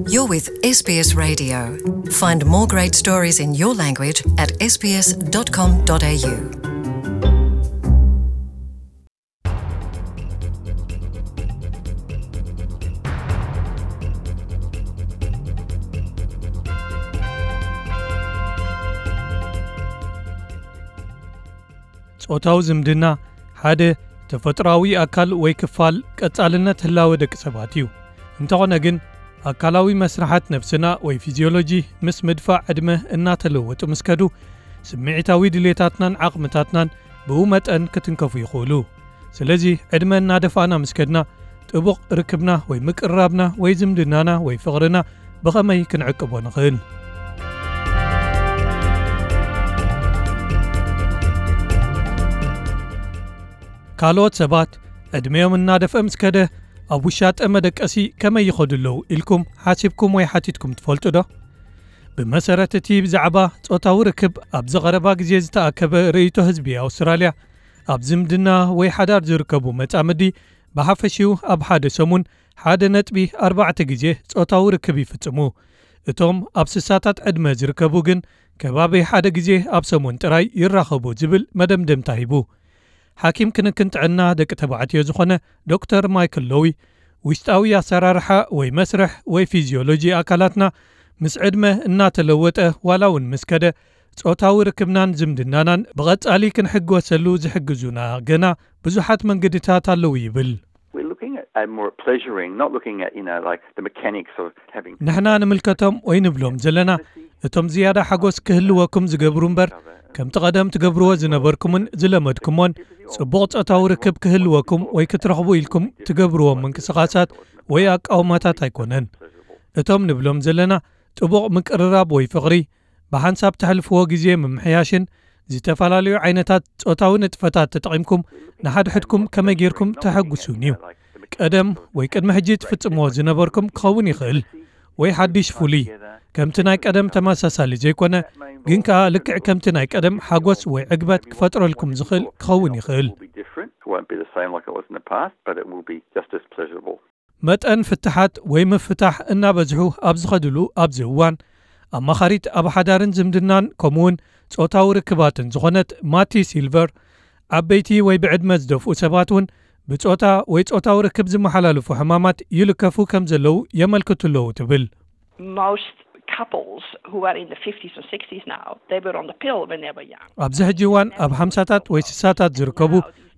You're with S B S Radio. Find more great stories in your language at S B S dot com dot A U. ጾታዊ ዝምድና ሓደ ተፈጥሮኣዊ ኣካል ወይ ክፋል ቀጻልነት ህላወ ደቂ ሰባት እዩ። እንተኾነ ግን፣ ኣካላዊ መስርሓት ነብስና ወይ ፊዚዮሎጂ ምስ ምድፋእ ዕድመ እናተለወጡ ምስ ከዱ፣ ስምዒታዊ ድሌታትናን ዓቕምታትናን ብኡ መጠን ክትንከፉ ይኽእሉ። ስለዚ፣ ዕድመ እናደፋእና ምስ ከድና፣ ጥቡቕ ርክብና ወይ ምቅርራብና ወይ ዝምድናና ወይ ፍቕርና ብኸመይ ክንዕቅቦ ንኽእል? ካልኦት ሰባት ዕድመኦም እናደፍአ ምስ ከደ፣ ኣብ ውሻጠ መደቀሲ ከመይ ይኸዱ ኣለዉ ኢልኩም ሓሲብኩም ወይ ሓቲትኩም ትፈልጡ ዶ? ብመሰረት እቲ ብዛዕባ ጾታዊ ርክብ ኣብዚ ቀረባ ግዜ ዝተኣከበ ርእይቶ ህዝቢ ኣውስትራልያ፣ ኣብ ዝምድና ወይ ሓዳር ዝርከቡ መጻምዲ ብሓፈሽኡ ኣብ ሓደ ሰሙን ሓደ ነጥቢ ኣርባዕተ ግዜ ጾታዊ ርክብ ይፍጽሙ። እቶም ኣብ ስሳታት ዕድመ ዝርከቡ ግን ከባቢ ሓደ ግዜ ኣብ ሰሙን ጥራይ ይራኸቡ ዝብል መደምደምታ ሂቡ። ሓኪም ክንክን ጥዕና ደቂ ተባዕትዮ ዝኾነ ዶክተር ማይክል ሎዊ፣ ውሽጣዊ ኣሰራርሓ ወይ መስርሕ ወይ ፊዚዮሎጂ ኣካላትና ምስ ዕድመ እናተለወጠ ዋላ እውን ምስ ከደ፣ ጾታዊ ርክብናን ዝምድናናን ብቐጻሊ ክንሕጎሰሉ ዝሕግዙና ገና ብዙሓት መንገድታት ኣለዉ ይብል። We're looking at, at more pleasuring, not looking at, you know, like the mechanics of having ንሕና ንምልከቶም ወይ ንብሎም ዘለና፣ እቶም ዝያዳ ሓጎስ ክህልወኩም ዝገብሩ እምበር፣ ከምቲ ቀደም ትገብርዎ ዝነበርኩምን ዝለመድኩሞን ጽቡቕ ጾታዊ ርክብ ክህልወኩም ወይ ክትረኽቡ ኢልኩም ትገብርዎም ምንቅስቓሳት ወይ ኣቃውማታት ኣይኮነን። እቶም ንብሎም ዘለና ጥቡቕ ምቅርራብ ወይ ፍቕሪ፣ ብሓንሳብ ተሕልፍዎ ግዜ ምምሕያሽን ዝተፈላለዩ ዓይነታት ጾታዊ ንጥፈታት ተጠቒምኩም ንሓድሕድኩም ከመይ ጌርኩም ተሐጉሱን እዩ። ቀደም ወይ ቅድሚ ሕጂ ትፍጽምዎ ዝነበርኩም ክኸውን ይኽእል፣ ወይ ሓድሽ ፍሉይ፣ ከምቲ ናይ ቀደም ተመሳሳሊ ዘይኮነ፣ ግን ከኣ ልክዕ ከምቲ ናይ ቀደም ሓጎስ ወይ ዕግበት ክፈጥረልኩም ዝኽእል ክኸውን ይኽእል። It won't be different. It won't be the same like it was in the past, but it will be just as pleasurable. መጠን ፍትሓት ወይ ምፍታሕ እናበዝሑ ኣብ ዝኸድሉ ኣብዚ እዋን፣ ኣማኻሪት ኣብ ሓዳርን ዝምድናን ከምኡውን ጾታዊ ርክባትን ዝኾነት ማቲ ሲልቨር፣ ዓበይቲ ወይ ብዕድመ ዝደፍኡ ሰባት እውን ብጾታ ወይ ጾታዊ ርክብ ዝመሓላለፉ ሕማማት ይልከፉ ከም ዘለዉ የመልክቱ ኣለዉ ትብል። Most couples who are in the fifties and sixties now, they were on the pill when they were young. ኣብዚ ሕጂ እዋን ኣብ ሓምሳታት ወይ ስሳታት ዝርከቡ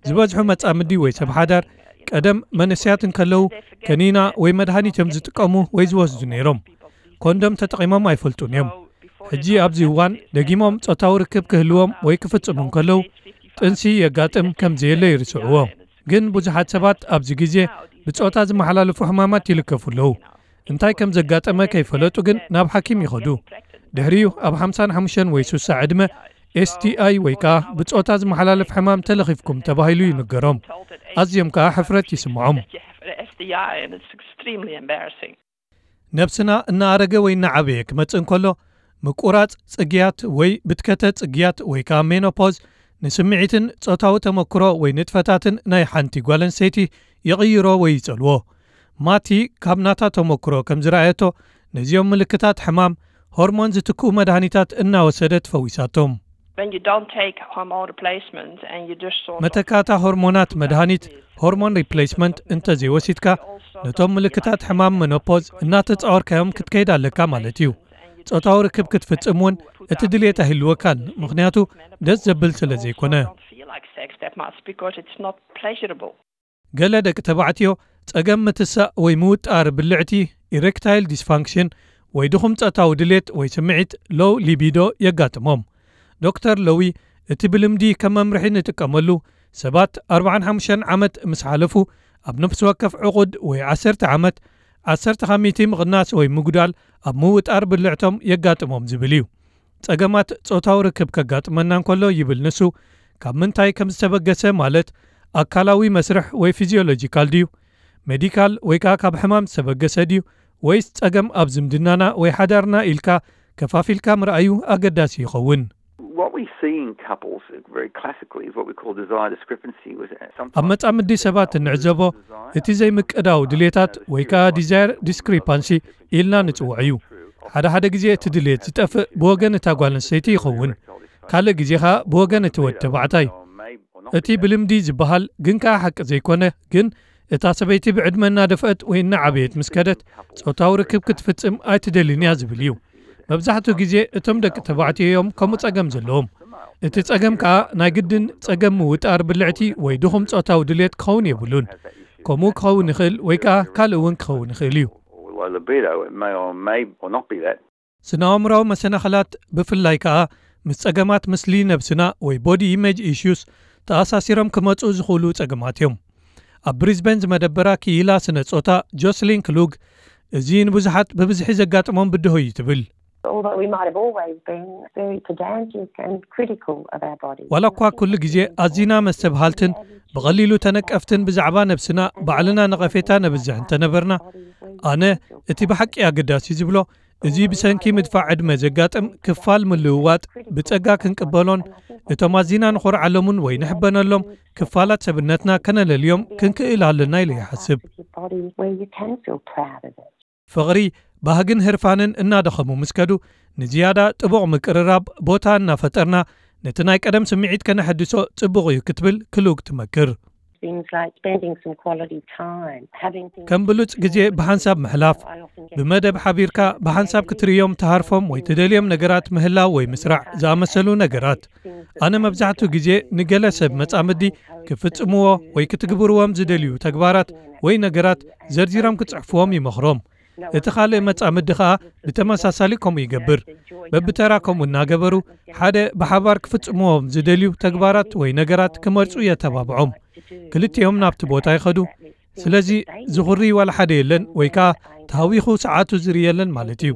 ዝበዝሑ መጻምዲ ወይ ሰብ ሓዳር፣ ቀደም መንእሰያት እንከለዉ ከኒና ወይ መድሃኒት እዮም ዝጥቀሙ ወይ ዝወስዱ ነይሮም። ኮንዶም ተጠቒሞም ኣይፈልጡን እዮም። ሕጂ ኣብዚ እዋን ደጊሞም ጾታዊ ርክብ ክህልዎም ወይ ክፍጽሙ እንከለዉ ጥንሲ የጋጥም ከም ዘየለ ይርስዕዎ። ግን ብዙሓት ሰባት ኣብዚ ግዜ ብጾታ ዝመሓላለፉ ሕማማት ይልከፉ ኣለዉ። እንታይ ከም ዘጋጠመ ከይፈለጡ ግን ናብ ሓኪም ይኸዱ። ድሕሪኡ ኣብ ሓምሳን ሓሙሽተን ወይ ሱሳ ዕድመ ኤስቲኣይ ወይ ከኣ ብጾታ ዝመሓላለፍ ሕማም ተለኺፍኩም ተባሂሉ ይንገሮም። ኣዝዮም ከኣ ሕፍረት ይስምዖም። That you have an S T I and it's extremely embarrassing. ነብስና እናኣረገ ወይ እናዓበየ ክመጽእ እንከሎ፣ ምቁራጽ ጽግያት ወይ ብትከተ ጽግያት ወይ ከኣ ሜኖፖዝ ንስምዒትን ጾታዊ ተመክሮ ወይ ንጥፈታትን ናይ ሓንቲ ጓል ኣንስተይቲ ይቕይሮ ወይ ይጸልዎ። ማቲ ካብ ናታ ተመክሮ ከም ዝረኣየቶ፣ ነዚኦም ምልክታት ሕማም ሆርሞን ዝትክኡ መድሃኒታት እናወሰደት ፈዊሳቶም። When you don't take hormone replacement and you just sort of መተካእታ ሆርሞናት መድሃኒት፣ ሆርሞን ሪፕሌስመንት፣ እንተ ዘይወሲድካ፣ ነቶም ምልክታት ሕማም መኖፖዝ እናተጻወርካዮም ክትከይድ ኣለካ ማለት እዩ። ጾታዊ ርክብ ክትፍጽም እውን እቲ ድሌት ኣይህልወካን፣ ምኽንያቱ ደስ ዘብል ስለ ዘይኮነ። Don't feel like sex that much because it's not pleasurable. ገለ ደቂ ተባዕትዮ ጸገም ምትሳእ ወይ ምውጣር ብልዕቲ፣ ኢሬክታይል ዲስፋንክሽን፣ ወይ ድኹም ጾታዊ ድሌት ወይ ስምዒት፣ ሎው ሊቢዶ፣ የጋጥሞም። ዶክተር ሎዊ፣ እቲ ብልምዲ ከም መምርሒ ንጥቀመሉ፣ ሰባት ኣርባዓን ሓሙሽተን ዓመት ምስ ሓለፉ፣ ኣብ ነፍሲ ወከፍ ዕቑድ ወይ ዓሰርተ ዓመት፣ ዓሰርተ ካብ ሚእቲ ምቕናስ ወይ ምጉዳል ኣብ ምውጣር ብልዕቶም የጋጥሞም ዝብል እዩ። ጸገማት ጾታዊ ርክብ ከጋጥመና እንከሎ፣ ይብል ንሱ፣ ካብ ምንታይ ከም ዝተበገሰ፣ ማለት ኣካላዊ መስርሕ ወይ ፊዚዮሎጂካል ድዩ፣ ሜዲካል ወይ ከኣ ካብ ሕማም ዝተበገሰ ድዩ፣ ወይስ ጸገም ኣብ ዝምድናና ወይ ሓዳርና ኢልካ ከፋፊልካ ምርኣዩ ኣገዳሲ ይኸውን። What Seeing couples very classically is what we call desire discrepancy. Was ኣብ መጻምዲ ሰባት እንዕዘቦ እቲ ዘይምቅዳው ድሌታት ወይ ከዓ desire discrepancy ኢልና ንጽውዖ እዩ። ሓደ ሓደ ግዜ እቲ ድሌት ዝጠፍእ ብወገን እታ ጓል ኣንስተይቲ ይኸውን፣ ካልእ ግዜ ኸኣ ብወገን እቲ ወዲ ተባዕታይ። እቲ ብልምዲ ዝበሃል ግን ከኣ ሓቂ ዘይኮነ፣ ግን እታ ሰበይቲ ብዕድመ እናደፍአት ወይ እናዓበየት ምስ ከደት ጾታዊ ርክብ ክትፍጽም ኣይትደልን እያ ዝብል እዩ። መብዛሕትኡ ግዜ እቶም ደቂ ተባዕትዮ እዮም ከምኡ ጸገም ዘለዎም። እቲ ጸገም ከኣ ናይ ግድን ጸገም ምውጣር ብልዕቲ ወይ ድኹም ጾታዊ ድሌት ክኸውን የብሉን። ከምኡ ክኸውን ይኽእል ወይ ከኣ ካልእ እውን ክኸውን ይኽእል እዩ። Or low libido, it may or may or not be that. ስነ-ኣእምራዊ መሰናኽላት ብፍላይ ከኣ ምስ ጸገማት ምስሊ ነብስና ወይ body image issues ተኣሳሲሮም ክመጹ ዝኽእሉ ጸገማት እዮም። ኣብ ብሪዝበን ዝመደበራ ክኢላ ስነ ጾታ ጆስሊን ክሉግ፣ እዚ ንብዙሓት ብብዝሒ ዘጋጥሞም ብድሆ እዩ ትብል። Although we might have always been very pedantic and critical of our bodies. ዋላ እኳ ኩሉ ግዜ ኣዚና መስተብሃልትን ብቐሊሉ ተነቀፍትን ብዛዕባ ነብስና ባዕልና ነቐፌታ ነብዝሕ እንተነበርና፣ ኣነ እቲ ብሓቂ ኣገዳሲ ዝብሎ፣ እዚ ብሰንኪ ምድፋዕ ዕድመ ዘጋጥም ክፋል ምልውዋጥ ብጸጋ ክንቅበሎን እቶም ኣዚና ንኾርዓሎምን ወይ ንሕበነሎም ክፋላት ሰብነትና ከነለልዮም ክንክእል ኣለና ኢለ ይሓስብ። Your body where you can feel proud of it. ፍቕሪ፣ ባህግን ህርፋንን እናደኸሙ ምስ ከዱ፣ ንዝያዳ ጥቡቕ ምቅርራብ ቦታ እናፈጠርና ነቲ ናይ ቀደም ስምዒት ከነሐድሶ ጽቡቕ እዩ ክትብል ክሉግ ትመክር። Things like spending some quality time, having things ከም ብሉጽ ግዜ ብሓንሳብ ምሕላፍ፣ ብመደብ ሓቢርካ ብሓንሳብ ክትርእዮም ትሃርፎም ወይ ትደልዮም ነገራት ምህላው ወይ ምስራዕ ዝኣመሰሉ ነገራት። ኣነ መብዛሕትኡ ግዜ ንገለ ሰብ መጻምዲ ክፍጽምዎ ወይ ክትግብርዎም ዝደልዩ ተግባራት ወይ ነገራት ዘርዚሮም ክጽሕፍዎም ይመኽሮም። እቲ ካልእ መጻምዲ ኸኣ ብተመሳሳሊ ከምኡ ይገብር። በብተራ ከምኡ እናገበሩ ሓደ ብሓባር ክፍጽምዎም ዝደልዩ ተግባራት ወይ ነገራት ክመርጹ የተባብዖም። ክልቲኦም ናብቲ ቦታ ይኸዱ። ስለዚ ዝኹሪ ዋላ ሓደ የለን ወይ ከኣ ተሃዊኹ ሰዓቱ ዝርኢ የለን ማለት እዩ።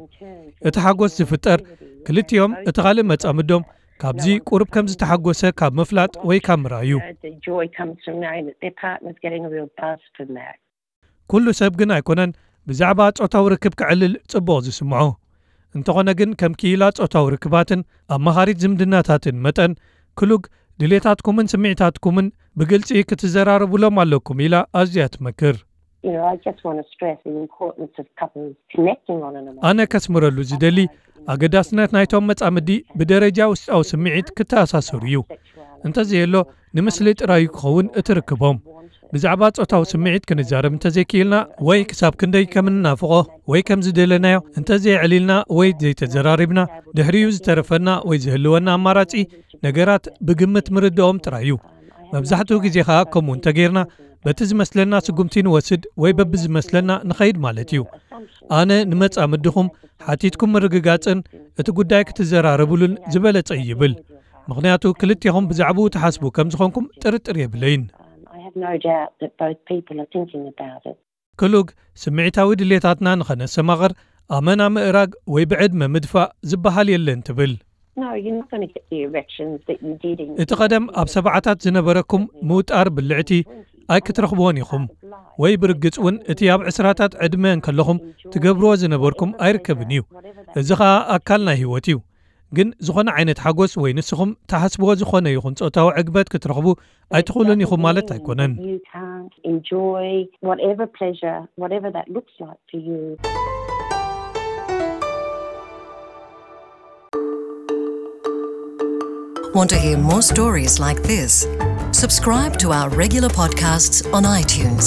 እቲ ሓጎስ ዝፍጠር ክልቲኦም እቲ ካልእ መጻምዶም ካብዚ ቁሩብ ከም ዝተሓጎሰ ካብ ምፍላጥ ወይ ካብ ምርኣይ እዩ። The joy comes from knowing that their partner's getting a real buzz from that. ኩሉ ሰብ ግን ኣይኮነን ብዛዕባ ጾታዊ ርክብ ክዕልል ጽቡቕ ዝስምዖ። እንተኾነ ግን ከም ክኢላ ጾታዊ ርክባትን ኣማኻሪት ዝምድናታትን መጠን ክሉግ ድሌታትኩምን ስምዒታትኩምን ብግልጺ ክትዘራረቡሎም ኣለኩም ኢላ ኣዝያ ትመክር። You know, I just want to stress the importance of couples connecting on an emotional ኣነ ከስምረሉ ዝደሊ ኣገዳስነት ናይቶም መጻምዲ ብደረጃ ውሽጣዊ ስምዒት ክተኣሳሰሩ እዩ። እንተዘየሎ ንምስሊ ጥራይ ክኸውን እቲ ርክቦም። ብዛዕባ ጾታዊ ስምዒት ክንዛረብ እንተዘይክኢልና ወይ ክሳብ ክንደይ ከም እንናፍቖ ወይ ከም ዝደለናዮ እንተዘየዕሊልና ወይ ዘይተዘራሪብና ድሕሪኡ ዝተረፈና ወይ ዝህልወና ኣማራጺ ነገራት ብግምት ምርድኦም ጥራይ እዩ። መብዛሕትኡ ግዜ ኸኣ ከምኡ እንተጌርና በቲ ዝመስለና ስጉምቲ ንወስድ ወይ በብዝመስለና ንኸይድ ማለት እዩ። ኣነ ንመጻምድኹም ሓቲትኩም ምርግጋጽን እቲ ጉዳይ ክትዘራረብሉን ዝበለጸ ይብል። ምኽንያቱ ክልቴኹም ብዛዕባኡ ትሓስቡ ከም ዝኾንኩም ጥርጥር የብለይን። I have no doubt that both people are thinking about it. ክሉግ ስምዒታዊ ድሌታትና ንኸነሰማቕር ኣመና ምእራግ ወይ ብዕድመ ምድፋእ ዝበሃል የለን ትብል። No, you're not going to get the erections that you did in እቲ ቐደም ኣብ ሰብዓታት ዝነበረኩም ምውጣር ብልዕቲ ኣይክትረኽብዎን ኢኹም። ወይ ብርግጽ እውን እቲ ኣብ ዕስራታት ዕድመ እንከለኹም ትገብርዎ ዝነበርኩም ኣይርከብን እዩ። እዚ ኸኣ ኣካል ናይ ህይወት እዩ። ግን ዝኾነ ዓይነት ሓጎስ ወይ ንስኹም ትሓስብዎ ዝኾነ ይኹን ጾታዊ ዕግበት ክትረኽቡ ኣይትኽእሉን ኢኹም ማለት ኣይኮነን። You can't enjoy whatever pleasure, whatever that looks like for you. Want to hear more stories like this? Subscribe to our regular podcasts on iTunes.